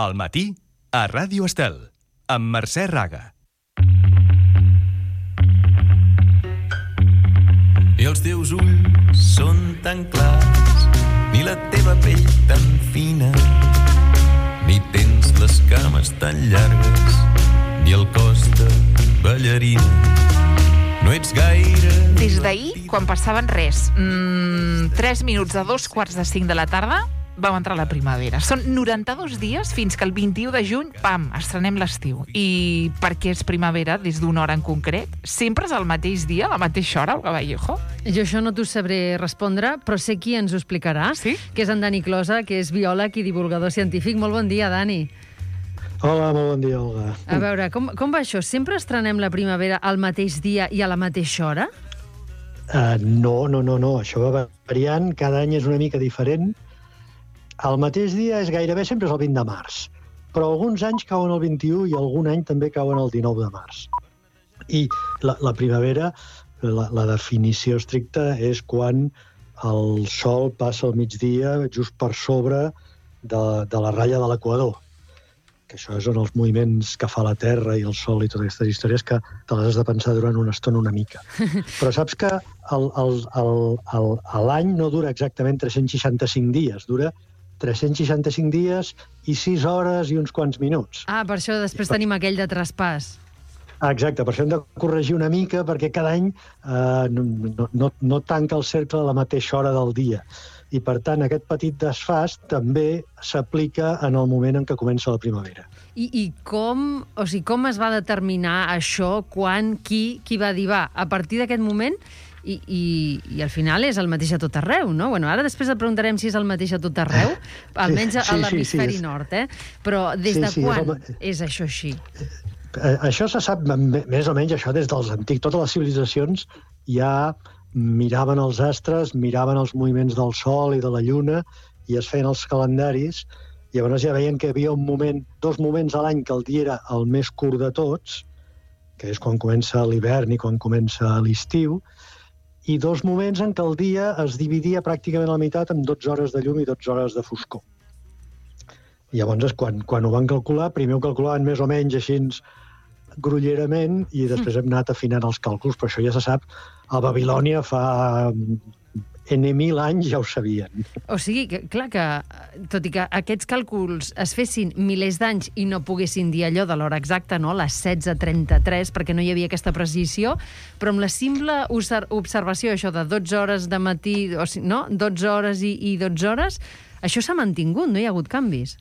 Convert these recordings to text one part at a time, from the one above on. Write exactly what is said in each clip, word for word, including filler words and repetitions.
Al matí, a Ràdio Estel, amb Mercè Raga. I els teus ulls són tan clars, ni la teva pell tan fina, ni tens les cames tan llargues, ni el cos de ballarina. No ets gaire... Des d'ahir, quan passaven res, mmm, tres minuts de dos quarts de cinc de la tarda, vam entrar a la primavera. Són noranta-dos dies fins que el vint-i-u de juny, pam, estrenem l'estiu. I per què és primavera des d'una hora en concret? Sempre és al mateix dia, a la mateixa hora, Olga Vallejo? Jo això no t'ho sabré respondre, però sé qui ens ho explicarà, sí? Que és en Dani Closa, que és biòleg i divulgador científic. Molt bon dia, Dani. Hola, molt bon dia, Olga. A veure, com, com va això? Sempre estrenem la primavera al mateix dia i a la mateixa hora? Uh, no, no, no, no. Això va variant. Cada any és una mica diferent. El mateix dia és gairebé sempre és el vint de març, però alguns anys cauen el vint-i-u i algun any també cauen el dinou de març. I la, la primavera, la, la definició estricta és quan el sol passa al migdia just per sobre de, de la ratlla de l'equador, que això és on els moviments que fa la Terra i el Sol i totes aquestes històries que te les has de pensar durant una estona una mica. Però saps que el, el, el, el, l'any no dura exactament tres-cents seixanta-cinc dies, dura tres-cents seixanta-cinc dies i sis hores i uns quants minuts. Ah, per això després per... tenim aquell de traspàs. Exacte, per això hem de corregir una mica, perquè cada any eh, no, no, no tanca el cercle a la mateixa hora del dia. I, per tant, aquest petit desfàs també s'aplica en el moment en què comença la primavera. I, i com, o sigui, com es va determinar això, quan, qui, qui va dir, va, a partir d'aquest moment... I, i, i al final és el mateix a tot arreu, no? Bueno, ara després et preguntarem si és el mateix a tot arreu, almenys a, sí, sí, a l'hemisferi sí, sí, nord, eh? Però des sí, de sí, quan és, el... és això així? Eh, això se sap més o menys això des dels antics. Totes les civilitzacions ja miraven els astres, miraven els moviments del Sol i de la Lluna i es feien els calendaris. I llavors ja veien que hi havia un moment, dos moments a l'any que el dia era el més curt de tots, que és quan comença l'hivern i quan comença l'estiu, i dos moments en què el dia es dividia pràcticament a la meitat amb dotze hores de llum i dotze hores de foscor. I llavors, quan, quan ho van calcular, primer ho calculaven més o menys així grollerament i després hem anat afinant els càlculs, però això ja se sap. A Babilònia fa ene mil anys ja ho sabien. O sigui, que, clar que, tot i que aquests càlculs es fessin milers d'anys i no poguessin dir allò de l'hora exacta, no? Les setze trenta-tres, perquè no hi havia aquesta precisió, però amb la simple observació, això de dotze hores de matí, o sigui, no? dotze hores i, i dotze hores, això s'ha mantingut, no hi ha hagut canvis.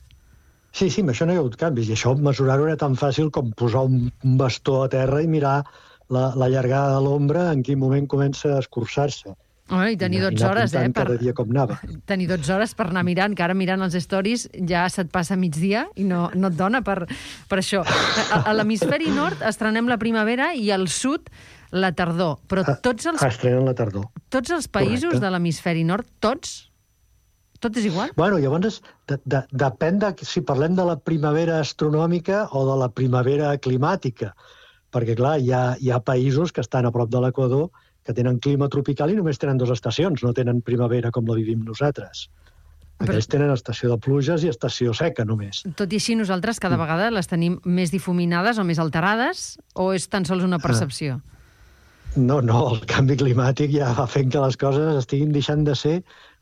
Sí, sí, amb això no hi ha hagut canvis, i això mesurar-ho era tan fàcil com posar un bastó a terra i mirar la, la llargada de l'ombra en quin moment comença a escurçar-se. Oh, i tenir dotze hores, eh? Per... Cada dia com anava. Tenir dotze hores per anar mirant, que ara mirant els stories ja se't passa migdia i no, no et dona per, per això. A, a l'hemisferi nord estrenem la primavera i al sud la tardor. Però tots els... Estrenen la tardor. Tots els països Correcte. de l'hemisferi nord, tots? Tot és igual? Bueno, llavors de, de, depèn de si parlem de la primavera astronòmica o de la primavera climàtica. Perquè, clar, hi ha, hi ha països que estan a prop de l'equador que tenen clima tropical i només tenen dues estacions, no tenen primavera com la vivim nosaltres. Aquells Però... tenen estació de pluges i estació seca, només. Tot i així, nosaltres cada vegada les tenim més difuminades o més alterades, o és tan sols una percepció? No, no, el canvi climàtic ja va fent que les coses estiguin deixant de ser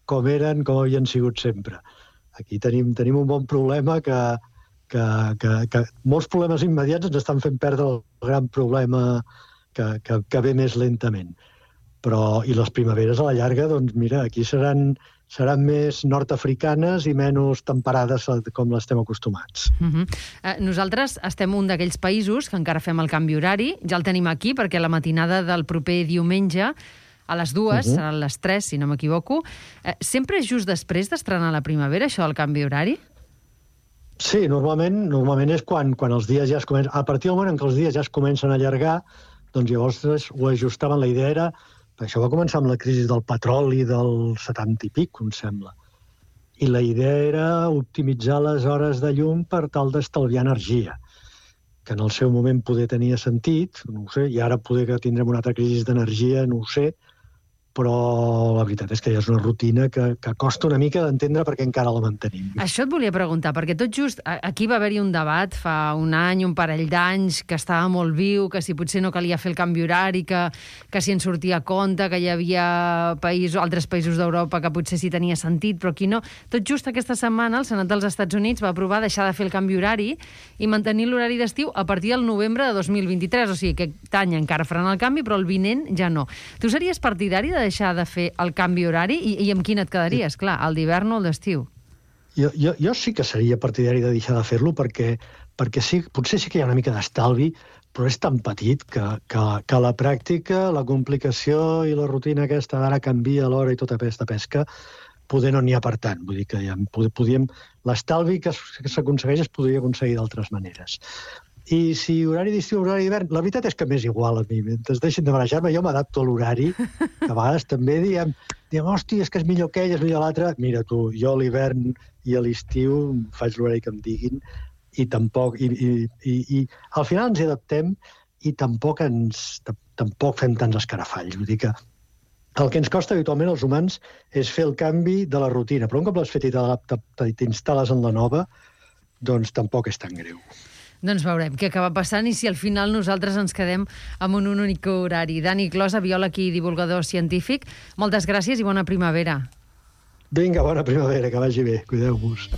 com eren, com havien sigut sempre. Aquí tenim, tenim un bon problema que, que, que, que molts problemes immediats ens estan fent perdre el gran problema que, que, que ve més lentament. Però, i les primaveres a la llarga, doncs mira, aquí seran, seran més nord-africanes i menys temperades com l'estem acostumats. Uh-huh. eh, nosaltres estem un d'aquells països que encara fem el canvi horari, ja el tenim aquí perquè la matinada del proper diumenge a les dues, uh-huh. seran les tres, si no m'equivoco. Eh, sempre és just després d'estrenar la primavera, això del canvi horari? Sí, normalment, normalment és quan, quan els dies ja es comencen... A partir del moment en què els dies ja es comencen a allargar, doncs llavors ho ajustaven. La idea era... Això va començar amb la crisi del petroli del setanta i pic, em sembla. I la idea era optimitzar les hores de llum per tal d'estalviar energia, que en el seu moment poder tenia sentit, no ho sé, i ara poder que tindrem una altra crisi d'energia, no ho sé, però la veritat és que ja és una rutina que, que costa una mica d'entendre perquè encara la mantenim. Això et volia preguntar, perquè tot just aquí va haver-hi un debat fa un any, un parell d'anys, que estava molt viu, que si potser no calia fer el canvi horari, que, que si en sortia a compte, que hi havia països, altres països d'Europa que potser sí tenia sentit, però aquí no. Tot just aquesta setmana el Senat dels Estats Units va aprovar deixar de fer el canvi horari i mantenir l'horari d'estiu a partir del novembre de dos mil vint-i-tres, o sigui que aquest any encara faran el canvi, però el vinent ja no. Tu series partidari de deixar de fer el canvi horari i, i amb quin et quedaries? Clar, el d'hivern o el d'estiu? Jo, jo, jo sí que seria partidari de deixar de fer-lo perquè, perquè sí, potser sí que hi ha una mica d'estalvi, però és tan petit que, que, que a la pràctica la complicació i la rutina aquesta d'ara canvia l'hora i tota aquesta pesca poder no n'hi ha per tant. Vull dir que ja podíem, l'estalvi que s'aconsegueix es podria aconseguir d'altres maneres. I si horari d'estiu o horari d'hivern, la veritat és que m'és igual a mi. Mentre deixin de marejar-me, jo m'adapto a l'horari, que a vegades també diem, diem, hòstia, és que és millor aquell, és millor l'altre. Mira tu, jo a l'hivern i a l'estiu faig l'horari que em diguin i tampoc, i, i, i, i al final ens hi adaptem i tampoc ens, tampoc fem tants escarafalls. Vull dir que el que ens costa habitualment als humans és fer el canvi de la rutina, però un cop l'has fet i t'instal·les en la nova, doncs tampoc és tan greu. Doncs veurem què acaba passant i si al final nosaltres ens quedem amb un únic horari. Dani Closa, biòleg i divulgador científic, moltes gràcies i bona primavera. Vinga, bona primavera, que vagi bé. Cuideu-vos.